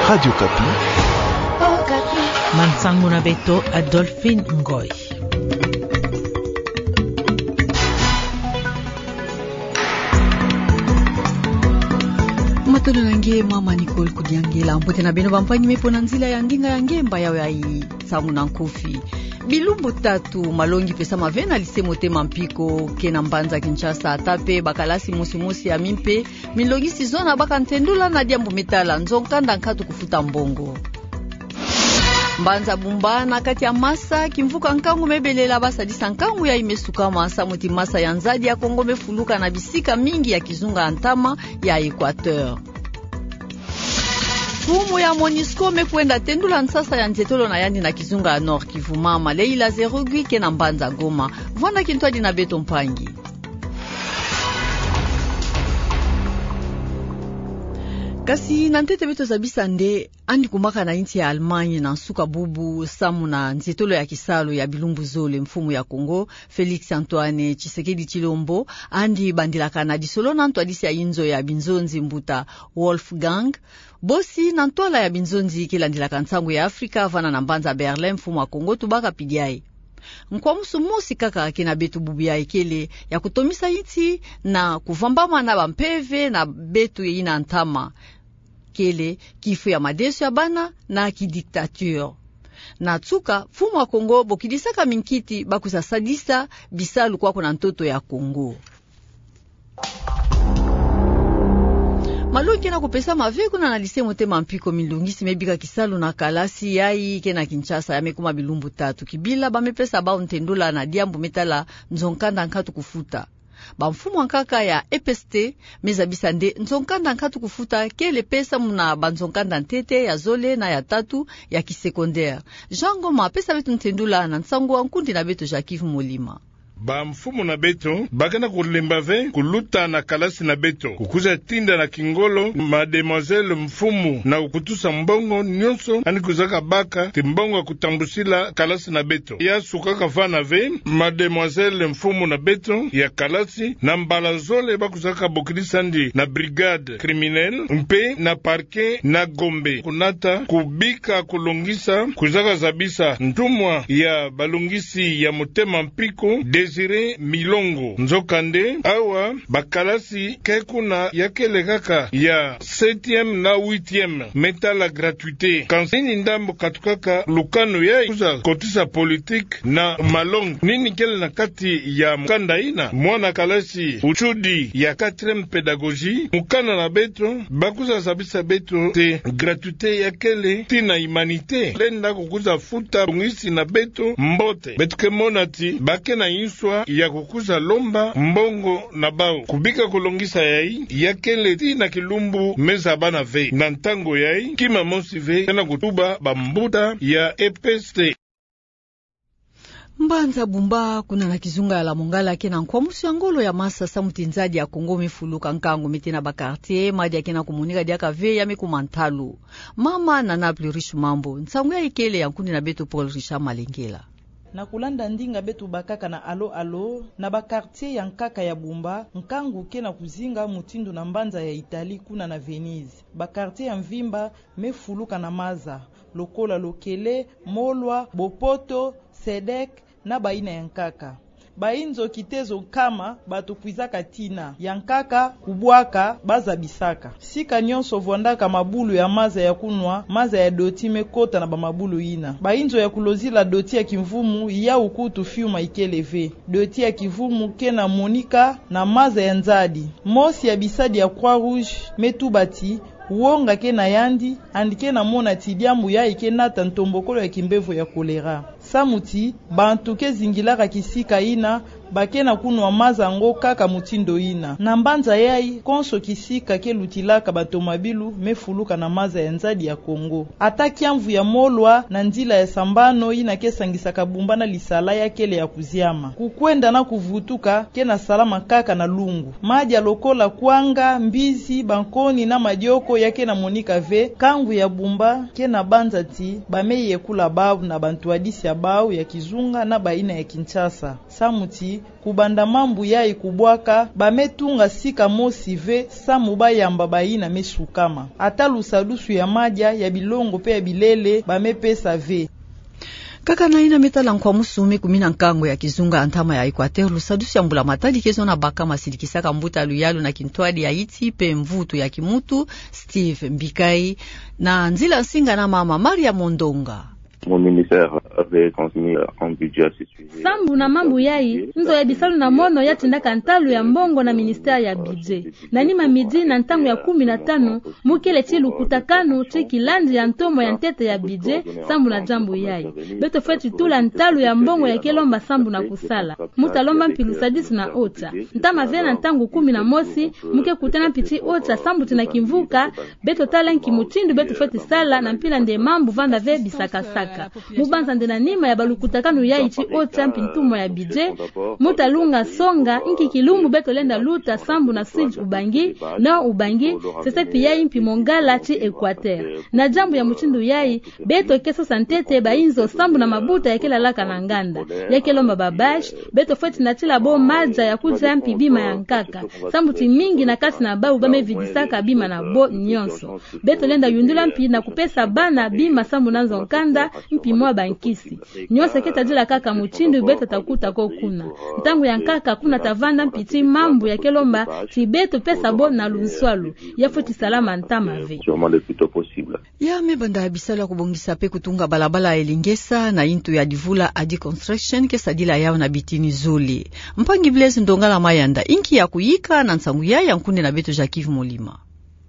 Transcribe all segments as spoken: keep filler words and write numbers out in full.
Radio Okapi. Mansango na beto Adolphine Ngoy. Matondo na nge mama Nicole Kudiangela, mbote na beno bampangi me mpo na nzila ya ndinga ya nge mba yayi ya nsangu na nkofi. Bilumbu tatu, malongi pesama ve na lycée Motema Mpiko, ke na mbanza Kinshasa, ata mpe bakalasi mosi mosi ya mimpe, milongisi zona baka ntendula na diambu me tala nzo nkanda nkatu kufuta mbongo. Mbanza Bumba na kati ya masa, kimvuka nkangu me belela, basadisa nkangu yayi me sukama, samu ti masa ya nzadi ya Kongo me fuluka na bisika mingi ya kizunga ya ntama ya Equateur. Mfumu ya MONUSCO me kwenda tendula nsasa ya nzietolo na yandi na kizunga ya Nord-Kivu. Mama Leila Zerugui ke na mbanza Goma. Vwanda kintwadi na beto mpangi. Kasi na ntete beto zabisa nde, andi kumaka na insi ya Allemagne na nsuka bubu, samu na nzietolo ya kisalu ya bilumbu zole, mfumu ya Kongo, Félix Antoine Tshisekedi Tshilombo, andi bandilaka na disolo na ntwadisi ya inzo ya binzonzi, mbuta Wolfgang Bossi, na ntwala ya binzonzi ke landilaka nsangu ya Afrika, vana na mbanza Berlin, mfumu ya Kongo tubaka pidiae. Nkwamusu mosi kaka ke na beto bubu yayi kele ya kutomisa insi na kuvambama na bampeve na beto yina ntama. Kele kifu ya madeso ya bana na kidictature. Na nsuka, mfumu ya Kongo bokidisaka minkiti bakwiza sadisa bisalu kwaku na ntoto ya Kongo. Malongi ke na kupesama ve kuna na lycée Motema Mpiko, milongisi me bika kisalu na kalasi yayi ke na Kinshasa, ya me kuma bilumbu tatu. Kibila ba me pesa bau ntendula na diambu me tala nzo nkanda nkatu kufuta. Bamfumu ya nkaka ya E P S T me zabisa nde nzo nkanda nkatu kufuta kele pesa muna banzo nkanda ntete ya zole na ya tatu ya kisecondaire. Jean Ngoma pesa beto ntendula na nsangu ya nkundi na beto Jacques Molima. Bamfumu na beto ba ke na kulemba ve kuluta na kalasi na beto, kukwiza tinda na kingolo mademoiselle mfumu na kukutusa mbongo nyonso andi kwizaka baka ti mbongo ya kutambusila kalasi na beto. Ya sukaka vana ve, mademoiselle mfumu na beto ya kalasi, na mbala zole bakwizaka bokidisa andi na brigade criminelle mpe na parquet na Gombe, kunata kubika kulongisa, kwizaka zabisa ntumwa ya balongisi ya Motema Mpiko, Désiré Milongo. Nzokande, awa bakalasi ke kuna ya kele kaka ya septième na huitième, me tala gratuité. Kansi nini ndambu katukaka lukanu yayi kwiza kotisa politique na malongi? Nini kele na kati ya mukanda yina? Mwana kalasi utudi ya quatrième pédagogie, mukanda na beto bakwiza zabisa beto ti gratuité ya kele ti na humanité. Lenda kukwiza futa longisi na beto mbote. Beto ke mona ti ba ke na nswa ya kukwiza lomba mbongo na bau. Kubika kulongisa yayi, ya kele ti na kilumbu me zabana ve. Na ntangu yayi, kima mosi ve ke na kutuba bambuta ya E P S T. Mbanza Bumba, kuna na kizunga ya Lamongala, ke na nkwamusu ya ngolo ya masa samu ti nzadi ya Kongo me fuluka. Nkangu me tena ba quartier, madia ke na kumonika diaka ve, ya me kuma ntalu. Mama Nana Plurish Mambo, nsangu yayi kele ya nkundi na beto Paul Richard Malengela. Na kulanda ndinga beto bakaka na Alo Alo, na ba quartier ya nkaka ya Bumba, nkangu ke na kuzinga mutindu na mbanza ya Italie kuna na Venise. Ba quartier ya mvimba me fuluka na maza, lokola Lokele, Molwa, Bopoto, Sedek, na bayina ya nkaka. Bayinzo kitezo nkama bato kwizaka tina, ya nkaka kubwaka, bazabisaka. Sika nyonso vwandaka mabulu ya maza ya kunwa, maza ya doti me kota na bamabulu yina. Bayinzo ya kulozila doti ya kimvumu, yawu kutu fiuma ikele ve. Doti ya kivumu ke na monika na maza ya nzadi. Mosi ya bisadi ya Croix-Rouge me tuba ti, wonga ke na yandi, yandi ke na mona ti diambu yayi ke nata ntombokolo ya kimbevo ya choléra. Samu ti bantu ke zingilaka kisika yina, ba ke na kunwa maza yango kaka mutindu yina. Na mbanza yayi, konso kisika ke lutilaka batomabilu me fuluka na maza ya nzadi ya Kongo. Ata kiamvu ya Molwa na nzila ya sambano yina ke sangisaka Bumba na Lisala ya kele ya kuziama. Kukwenda na kuvutuka ke na salama kaka na lungu. Madia lokola kwanga, mbizi, bankoni na madioko ya ke na monika ve. Nkangu ya Bumba ke na banza ti ba me yekula bau na bantwadisi ya bau ya kizunga na bayina ya Kinshasa. Samu ti Kubanda mambu yayi kubwaka, ba me tunga sika mosi ve samu ba yamba bayina me sukama. Ata lusadusu ya madia, ya bilongo pe ya bilele, ba me pesa ve. Kaka na yina me tala nkwamusu me kumina nkangu ya kizunga ya ntama ya Equateur, lusadusu ya mbula matadi ke zona baka ma sidikisaka mbuta luyalu na kintwadi ya iti pe mvutu ya kimutu, Steve Mbikai, na nzila nsinga na mama Maria Mondonga. Mon ministère avait transmis un budget à ce sujet. Sambu na mambu yayi, nzo ya bisalu na mono ya tindaka ntalu ya mbongo na ministère ya budget. Na nima midi na ntangu ya kumi na tano, mu kele ti lukutakanu ti kilandi ya ntomo ya ntete ya budget, sambu na diambu yayi. Beto fweti tula ntalu ya mbongo ya ke lomba sambu na kusala. Mu ta lomba mpi lusadisu na ota. Ntama ve na ntangu kumi na mosi, mu ke kutana mpi ti ota sambu ti na kimvuka, beto tala nki mutindu beto fweti sala na mpila nde mambu vanda ve bisakasaka. Mu banza nde na nima ya balukutakanu yayi ti ota mpi ntomo ya budget, mu ta lunga songa nki kilumbu beto lenda luta sambu na sud Ubangi, nord Ubangi, sese pi yayi mpi Mongala ti Equateur. Na diambu ya mutindu yayi, beto ke sosa ntete ba inzo sambu na mabuta ya ke lalaka na nganda. Ya ke lomba ba bâche, beto fweti natila bo madia ya kudia mpi bima ya nkaka. Sambu ti mingi na kati na bawu ba me vidisaka bima na bo nionso. Beto lenda yundula mpi na kupesa bana bima sambu na nzo nkanda, mpi mwa bankisi. Nionso ke tadila kaka mutindu beto ta kuta ko kuna. Ntangu ya nkaka kuna ta vanda mpi ti mambu ya ke lomba ti beto pesa bo na lunswalu. Ya fweti salama ntama ve. Sûrement le plus tôt possible. Ya me banda bisalu ya kubongisa pe kutunga balabala ya Elengesa na intu ya Divula Adi Construction ke sadila yawu na bitini zole. Mpangi Blaise Ndongala Mayanda, inki ya kuyika na nsangu yayi ya nkunde na beto Jacques Molima.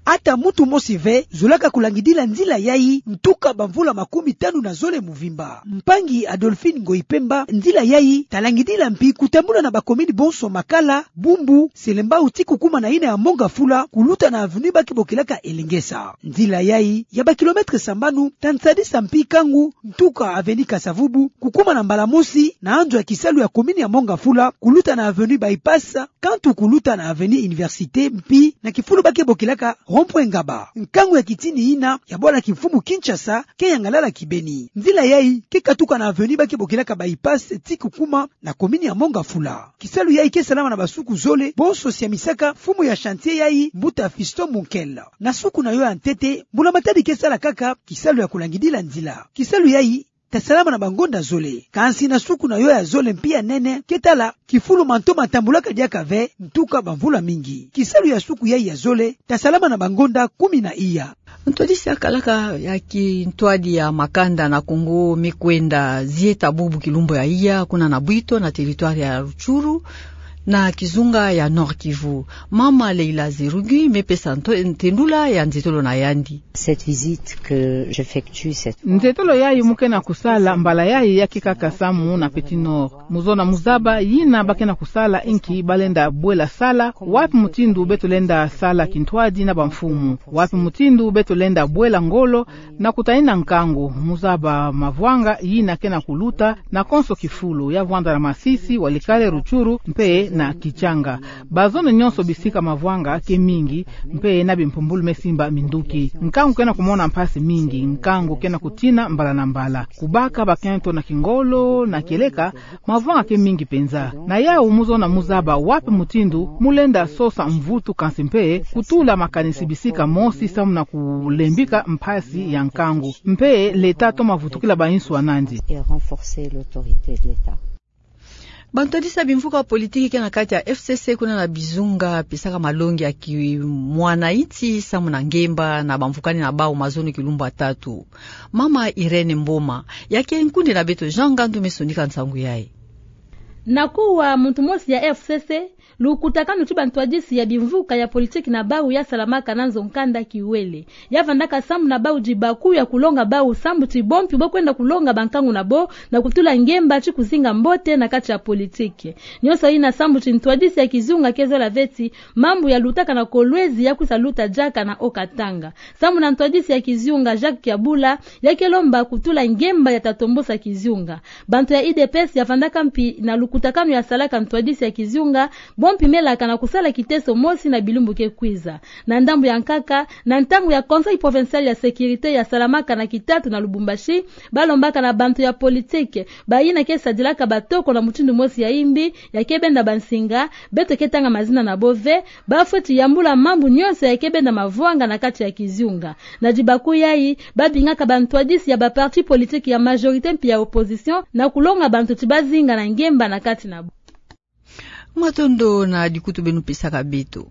Ata muntu mosi ve zolaka kulangidila nzila yayi, ntuka bamvula makumi tanu na zole muvimba. Mpangi Adolphine Ngoyi Pemba, nzila yayi ta langidila mpi kutambula na bakomini bonso Makala, Bumbu, Selembao ti kukuma na yina ya Mont Ngafula, kuluta na avenue ba ke bokilaka Elengesa. Nzila yayi ya bakilomètre sambanu ta nsadisa mpi kangu, ntuka avenue Kasa-Vubu, kukuma na mbala mosi na anzo ya kisalu ya komini ya Mont Ngafula, kuluta na avenue Bypass, kantu kuluta na avenue Université, mpi na kifulu ba ke bokilaka rond-point Ngaba. Nkangu ya kitini yina ya bwala kimfumu Kinshasa ke yangalala kibeni. Nzila yayi ke katuka na avenue ba ke bokilaka Bypass ti kukuma na komini ya Mont Ngafula. Kisalu yayi ke salama na basuku zole, bonso siamisaka mfumu ya chantier yayi, mbuta Fiston Munkel. Na suku na yo ya ntete, mbula matadi ke sala kaka kisalu ya kulangidila nzila. Kisalu yayi ta salama na bangonda zole. Kansi na suku na yo ya zole mpi ya nene, ke tala kifulu manto ma tambulaka diaka ve, ntuka bamvula mingi. Kisalu ya suku yayi ya zole ta salama na bangonda kumi na iya. Ntwadisi ya kalaka ya kintwadi ya makanda na Kongo me kwenda zieta bubu kilumbu ya iya, kuna na Bwito, na territoire ya Rutshuru, na kizunga ya Nord-Kivu. Mama Leila Zerugi me pesa nto-, ntendula ya nzetolo na yandi. Cette visite que j'effectue cette fois. Nzetolo yayi mu ke na kusala mbala yayi ya ke kaka samu na Petit Nord. Mu zona mu zaba yina ba ke na kusala, inki ba lenda bwela sala, wapi mutindu beto lenda sala kintwadi na bamfumu, wapi mutindu beto lenda bwela ngolo, na kutanina nkangu, mu zaba mavwanga yina ke na kuluta na konso kifulu, ya vwanda na Masisi, Walikale, Rutshuru, mpe na Kitshanga. Bazone nionso bisika mavwanga ke mingi, mpe na bimpumbulu me simba minduki. Nkangu ke na kumona mpasi mingi, nkangu ke na kutina mbala na mbala. Kubaka bakento na kingolo, na kieleka, mavwanga ke mingi penza. Na yawu mu zona mu zaba wapi mutindu mu lenda sosa mvutu, kansi mpe kutula makanisi bisika mosi samu na kulembika mpasi ya nkangu. Mpe l'État toma vutukila bainsu ya nandi. Et renforcer l'autorité de l'État. Bantwadisi ya bimvuka politiki ke na kati ya F C C kuna na Bizunga pesaka malongi ya kimwana inti samu na ngemba na bamvukani na bawu mazono kilumbu ya tatu. Mama Irène Mboma, ya ke nkunde na beto Jean Ngandu me sonika nsangu yayi. Na kuwa muntu mosi ya F C C, lukutakanu ti bantwadisi ya bimvuka ya politiki na bawu ya salamaka na nzo nkanda Kiwele. Ya vandaka samu na bawu dibaku ya kulonga bawu sambu ti bo mpi bo kwenda kulonga bankangu na bo na kutula ngemba ti kuzinga mbote na kati ya politiki. Nionso yina sambu ti ntwadisi ya kizunga ke zola ve ti mambu ya lutaka na Kolwezi ya kwisa luta diaka na Haut-Katanga. Samu na ntwadisi ya kizunga Jacques Kiabula, ya ke lomba kutula ngemba ya ta tombosa kizunga. Bantu ya U D P S ya vandaka mpi na luku mbuta kano yasalaka ntwadisi ya kizunga, bo mpimelaka na kusala kiteso mosi na bilumbu ke kwiza. Na ndambu ya nkaka, na ntangu ya Conseil Provincial ya Sécurité yasalamaka na kitatu na Lubumbashi, balombaka na bantu ya politike, bayina ke sadilaka batoko na mutindu mosi ya imbi, ya ke benda bansinga, beto ke tanga mazina na bo ve, bafweti yambula mambu nyonso ya ke benda mavwanga na kati ya kizunga. Na dibaku yayi, babingaka bantwadisi ya ba parti politique ya majorité mpi ya opposition na kulonga bantu ti bazinga na ngemba na kati na bo. Matondo na dikutu beno pesaka beto.